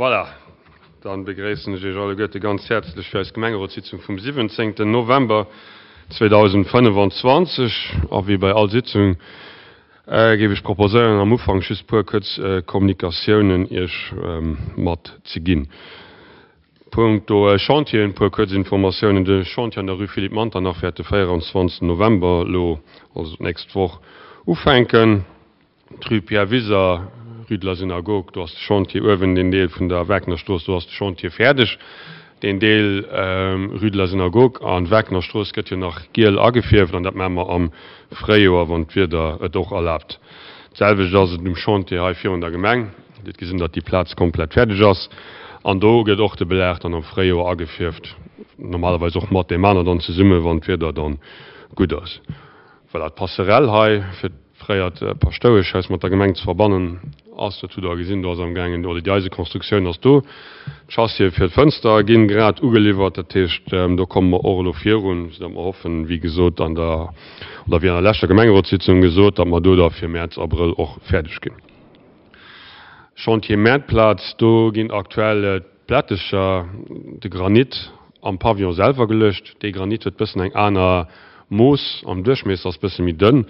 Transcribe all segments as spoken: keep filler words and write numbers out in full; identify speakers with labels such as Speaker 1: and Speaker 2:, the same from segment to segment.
Speaker 1: Voilà, dann begréissen ech Iech alleguerte ganz häerzlech fir eis Gemengerotssitzung vum siwwenzéngten November zweedausendfënnefenzwanzeg. A wéi bei all Sitzung géif ech proposéieren, am Ufank just puer kuerz Kommunikatiounen Iech matzeginn. Punkto Chantieren, puer kuerz Informatiounen. De Chantier an der Rue Philippe Manternach wäert de véieranzwanzegsten November, elo also d'nächst Woch, ufänken. D'Rue Pierre Wiser, Rue de la Synagogue, do ass de Chantier uewen, deen Deel vun der Wagnerstrooss, do ass de Chantier fäerdeg. Deen Deel Rue de la Synagogue an Wagnerstrooss gëtt jo nach giel agefierft an dat maache mer am Fréijoer, wann d'Wieder et och erlaabt. D'selwecht ass et um Chantier hei virun der Gemeng. Dir hutt gesinn, datt déi Plaz komplett fäerdeg ass an do gëtt och de Belag dann am Fréijoer agefierft, normalerweis och mat deem aner dann zesummen, wann d'Wieder dann gutt ass. Voilà, d'Passerelle hei fir d'fréiert Paschtoueschhaus mat der Gemeng ze verbannen ass, dat hutt Der gesinn, do ass amgaangen, oder déi Eisekonstruktioun ass do. D'Chassië fir d'Fënster ginn grad ugeliwwert, dat heescht, do komme mer och elo virun, soudatt mer hoffen, wéi gesot an der, oder wéi an der leschter Gemengerotssitzung gesot, datt mer do da fir Mäerz, Abrëll och fäerdeg ginn. Chantier Mäertplaz, do ginn aktuell d'Plättecher, de Granit am Pavillon selwer geluecht. Dee Granit huet bëssen eng aner Mooss am Duerchmiesser, ass bësse méi dënn.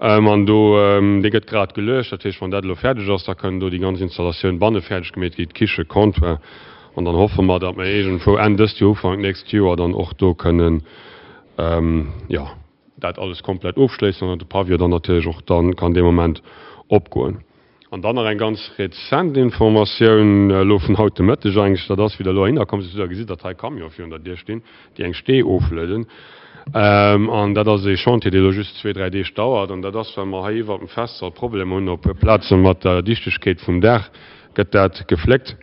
Speaker 1: An do, dee gëtt grad geluecht. Dat heescht, wann dat elo fäerdeg ass, da kënn do déi ganz Installatioun banne fäerdeg gemeet ginn, d'Kiche, Comptoir. An dann hoffe mer, datt mer iergendwou Enn dëst Joer, Ufank nächst Joer dann och do kënnen, jo, dat alles komplett ofschléissen an datt de Pavillon dann natierlech och dann kann dee Moment opgoen. An dann nach eng ganz rezent Informatioun, elo vun haut de Mëtteg eigentlech, dat ass, wéi Der elo heihinner komm sidd, hutt Der gesi, datt hei Camione virun der Dier stinn, déi eng Stee oflueden. An dat ass ee Chantier, dee elo just zwee, dräi Deeg dauert. An dat ass, well mer hei iwwert dem Festsall Problemer hunn op e puer Plaze mat der Dichtegkeet vum Daach, gëtt dat gefléckt.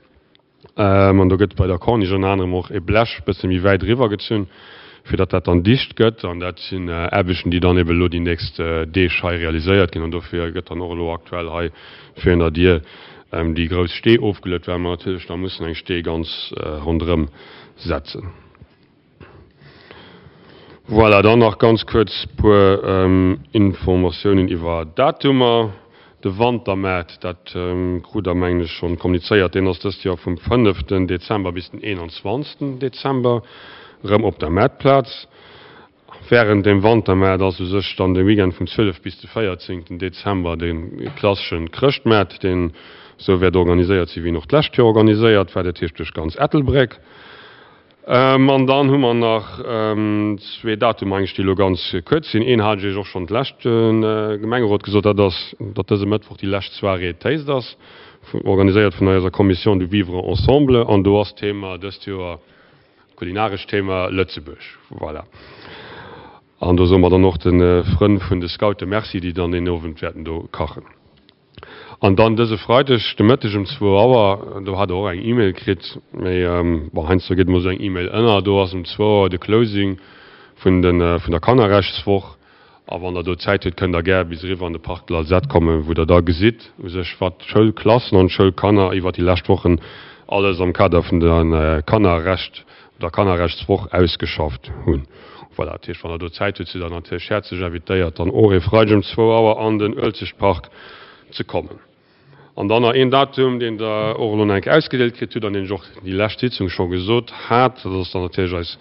Speaker 1: An do gëtt bei der Corniche ënner anerem och e Blech e bësse méi wäit eriwwer gezunn, fir datt dat dann dicht gëtt. An dat sinn Aarbechten, déi dann eben elo déi nächst Deeg hei realiséiert ginn. An dofir gëtt dann och elo aktuell hei virun der Dier déi grouss Stee ofgeluet, well mer natierlech da mussen eng Stee ganz ronderëm setzen. Voilà, dann nach ganz kuerz puer Informatiounen iwwer Datumer. De Wantermaart, dat krut Der mengen ech schonn kommunizéiert, deen ass dëst Joer vum fënneften Dezember bis den eenanzwanzegsten Dezember erëm op der Maartplaz. Wärend dem Wantermaart ass u sech dann de Weekend vum zwielef bis de véierzéngten Dezember de klasseschen Chrëschtmaart, deen esou wäert organiséiert sinn, wéi en och d'lescht Joer organiséiert war, dat heescht duerch ganz Ettelbréck. An dann hu mer nach zwee Datumer eigentlech, déi elo ganz kuerz sinn. Een hat ech Iech och schonn d'lescht Gemengerot gesot, dat ass, datt dëse Mëttwoch déi lescht Soirée Taste ass, organiséiert vun eiser Commission du Vivre ensemble. An do ass d'Thema dëst Joer, d'kulinarescht Thema Lëtzebuerg. Voilà. An do soe mer dann och de Frënn vun de Scoute Merci, déi dann deen Owend wäerten do kachen. An dann dëse Freideg de Mëtteg um zwou Auer, do hat Der och eng E-Mail kritt, mee bon, heiansdo geet emol esou eng E-Mail ënner, do ass um zwou Auer de Closing vun de vun der Kannerrechtswoch. A wann Der do Zäit hutt, kënnt Der gär bis eriwwer an de Parc de l'Alzette kommen, wou Der da gesitt u sech, wat d'Schoulklassen an d'Schoulkanner iwwer déi lescht Wochen alles am Kader vun de Kannerrecht der Kannerrechtswoch ausgeschafft hunn. Voilà, dat heescht, wann Der do Zäit hutt, sidd Der natierlech häerzlech invitéiert, dann och e Freideg um zwou Auer an den Uelzechtpark ze kommen. An dann nach een Datum, deen Der och elo nach eng Kéier ausgedeelt kritt hutt an deen ech och déi lescht Sitzung scho gesot hat, dat ass dann natierlech eis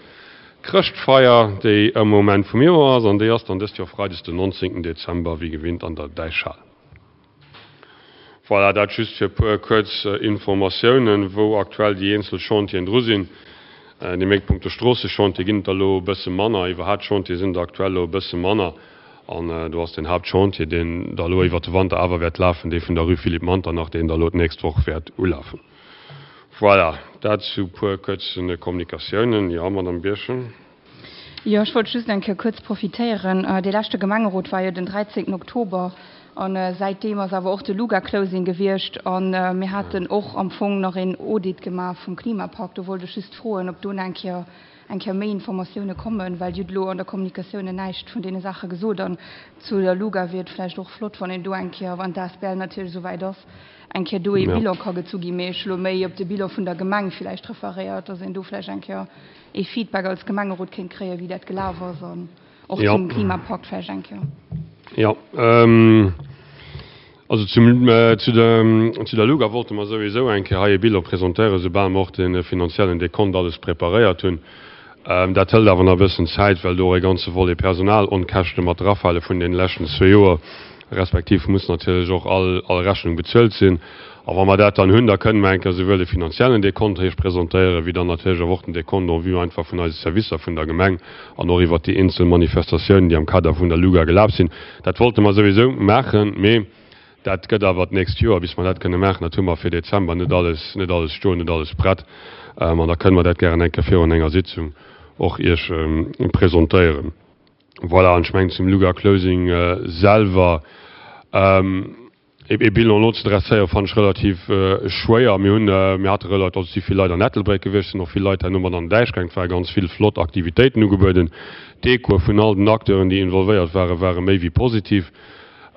Speaker 1: Chrëschtfeier, déi ëm Moment vum Joer ass, an déi ass dann dëst Joer freides den nonzéngten Dezember, wéi gewinnt an der Däichhal. Voilà, dat just fir e puer kuerz Informatiounen, wou aktuell déi eenzel Chantieren dru sinn. Dir mierkt, punkto Stroossechantier ginn et der elo e bësse manner, iwwerhaapt Chantiere sinn der aktuell elo e bësse manner. An do ass den Haaptchantier, deen da elo iwwert de Wanter awer wäert lafen, dee vun der Rue Philippe Manternach, deen da elo d'nächst Woch wäert ulafen. Voilà, dat zu puer kuerze Kommunikatiounen. Jo, Madame Birchen.
Speaker 2: Jo, ech wollt just eng Kéier kuerz profitéieren. Dee leschte Gemengerot war jo den dräizéngten Oktober a säitdeem ass awer och de Luga-Closing gewiescht a mir haten och am Fong nach een Audit gemaach vum Klimapakt. Do wollt ech just froen, ob do nach eng Kéier eng Kéier méi Informatioune kommen, well Dir hutt elo an der Kommunikatioune näischt vun deene Saache gesot. An zu der Luga wier et vläicht och flott, wann een do eng Kéier, wann d'A S B L natierlech esouwäit ass, eng Kéier do ee Bilan ka gezu ginn. Mee ech hu elo méi op de Bilan vun der Gemeng vläicht referéiert, dass een do vläicht eng Kéier ee Feedback als Gemengerot kéint kréien, wéi dat gelaf ass an och zum Klimapakt vläicht eng Kéier.
Speaker 1: Jo. Also zum, äh, zu, der, zu der Luga wollte mer souwisou eng Kéier hei e Bilan presentéieren, soubal mer och de finanziellen Dekont alles preparéiert hunn. Ähm, dat hëlt awer nach e bëssen Zäit, well do e ganze Volet Personalonkäschte mat drafale vun den leschten zwee Joer, respektiv muss natierlech och all, all Rechnung bezuelt sinn. A wa mer dat dann hunn, da kënne mer eng Kéier souwuel de finanziellen Dekont iech presentéieren, wéi dann natierlech och den Dekont en vue einfach vun eise Servicer vun der Gemeng an och iwwer déi eenzel Manifestatiounen, déi am Kader vun der Luga gelaf sinn. Dat wollte mer souwisou maachen, mee dat gëtt awer d'nächst Joer, bis mer dat kënne maachen. Dat hu mer fir Dezember net alles, net alles stoen, net alles prett. Ähm, an da kënne mer dat gären eng Kéier virun enger Sitzung och iech ähm, presentéieren. Voilà, an ech mengen zum Luga Closing äh, selwer. Ähm, e Bilan elo ze dresséieren fannen ech relativ äh, schwéier. Mir hunn äh, mir hate relativ also si vill Leit an Ettelbréck gewiescht, sinn och vill Leit herno mat an den Däich gaangen. Et ware ganz vill flott Aktivitéiten ugebueden. D'Echoe vun all den Acteuren, déi involvéiert waren, ware méi wéi positiv.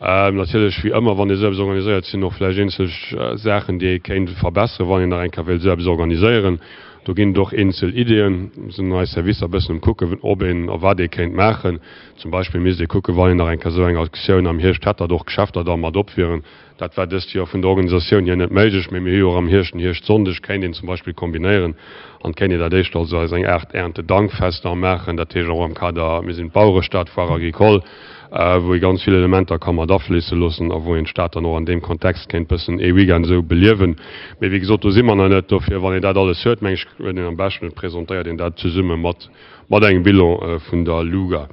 Speaker 1: Ähm, natierlech wéi ëmmer, wann ee sou eppes organiséiert, sinn och vläicht eenzel äh, Saachen, déi ee kéint verbesseren, wann een nach eng Kéier wéilt sou eppes organiséieren. Do ginn et och eenzel Ideeën, sinn eis Servicer e bëssen um kucken, ob een a wat ee kéint maachen. Zum Beispill misst ee kucken, wann een nach eng Kéier sou eng Aktioun am Hierscht hätt, datt och Geschäfter da mat op wieren. Dat war dëst Joer vun der Organisatioun hier net méiglech, mee mir hu jo och am Hierscht den Hierschtsonndeg, kéint een zum Beispill kombinéieren an kéint een dat éischt also als eng Aart Erntedankfest da maachen. Dat heescht och am Kader, mir sinn d'Bauerestad, Foire agricole, wou ee ganz vill Elementer ka mat afléisse loossen a wou een d'Stad dann och an deem Kontext kéint bëssen ee Weekend esou beliewen. Mee wéi gesot, do si mer nach net. Dofir, wann een dat alles huet, meng ech, huet een am beschten, et presentéiert een dat zesumme mat mat engem Bilan vun der Luga.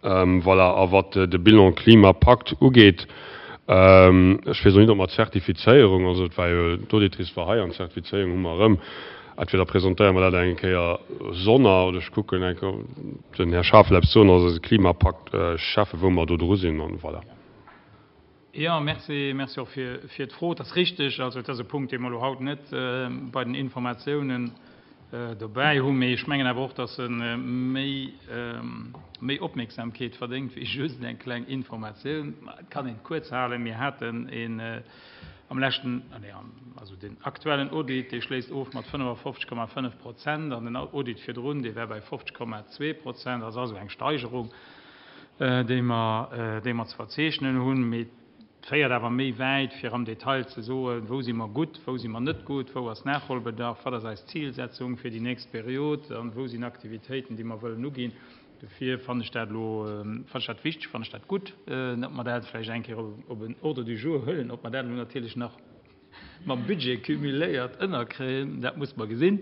Speaker 1: Voilà, a wat de Bilan Klimapakt ugeet, ech weess och net, ob mer d'Zertifizéierung, also et war jo, d'Auditrice war hei an d'Zertifizéierung hu mer erëm, entweder presentéiere mer dat eng Kéier sonner oder ech kucken eng Kéier, den Här Schaaf wëll eppes soen, also eise Klimapakt-Schäffe, wou mer do dru sinn an voilà.
Speaker 3: Jo, merci, merci och fir, fir d'Fro. Et ass richtig, also et ass e Punkt, dee mer elo haut net bei den Informatiounen dobäi hunn, mee ech mengen awer och, dass e méi, méi Opmierksamkeet verdéngt wéi just eng kleng Informatioun. Et kann een et kuerz halen, Mir haten een am leschten, nee, also den aktuellen Audit, dee schléisst of mat fënnefafofzeg Komma fënnef Prozent an den Audit virdrun, dee war bei fofzeg Komma zwee Prozent. Dat ass also eng Steigerung, déi mer, déi mer ze verzeechnen hunn. Mee et féiert awer méi wäit, fir am Detail ze soen, wou si mer gutt, wou si mer net gutt, wou ass Nachholbedarf, wat ass eis Zilsetzung fir déi nächst Period an wou sinn Aktivitéiten, déi mer wëllen uginn. Dofir fannen ech dat elo, fannen ech dat wichteg, fannen ech dat gutt, datt mer dat vläicht eng Kéier op en Ordre du jour huelen. Ob mer dat elo natierlech nach mam Budget cumuléiert ënnerkréien, dat muss mer gesinn.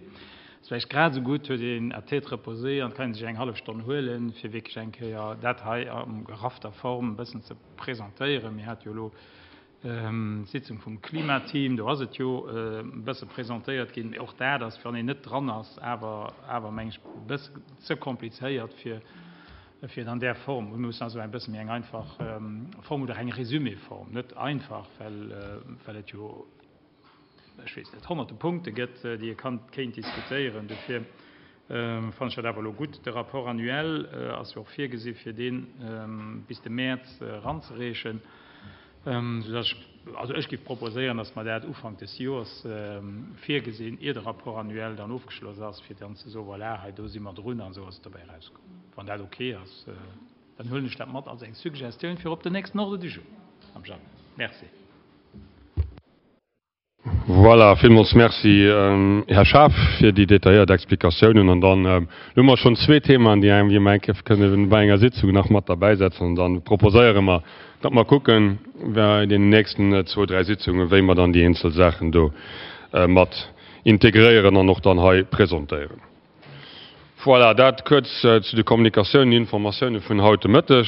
Speaker 3: Ass vläicht grad esou gutt, huet een à tête reposée an kann ee sech eng hallef Stonn huelen, fir wierklech eng Kéier dat hei a geraffter Form e bëssen ze presentéieren. Mir hate jo elo d'Sitzung vum Klimateam, do ass et jo e bësse presentéiert ginn, mee och dat ass, wann een net dran ass, awer, awer meng ech, e bësse ze komplizéiert, fir, fir et an där Form. Mir mussen also eng bësse méi eng einfach Form oder eng Résumé-Form, net einfach, well, well et jo, ech weess net, honnerte Punkte gëtt, déi ee kann, kéint diskutéieren. Dofir fannen ech dat awer elo gutt. De Rapport annuel ass jo och virgesi fir dee bis de Mäerz eranzereechen, soudass ech, also ech géif proposéieren, dass mer dat Ufank des Joers virgesinn, ier de Rapport annuel dann ofgeschloss ass, fir dann ze soen, voilà, hei do si mer drun an esou ass et dobäi erauskomm. Wann dat ok ass, dann huelen ech dat mat als eng Suggestioun fir op den nächsten Ordre du jour am Januar. Merci.
Speaker 1: Voilà, villmools Merci, Här Schaaf, fir déi detailléiert Explikatiounen. An dann hu mer schonn zwee Themaen, déi eng, déi mer eng Kéier kënne bei enger Sitzung nach mat derbäisetzen. An dann proposéiere mer, datt mer kucken bei deenen nächsten zwou, dräi Sitzungen, wéi mer dann déi eenzel Saachen do mat integréieren an och dann hei presentéieren. Voilà, dat kuerz zu de Kommunikatiounen, Informatiounen vun haut de Mëtteg.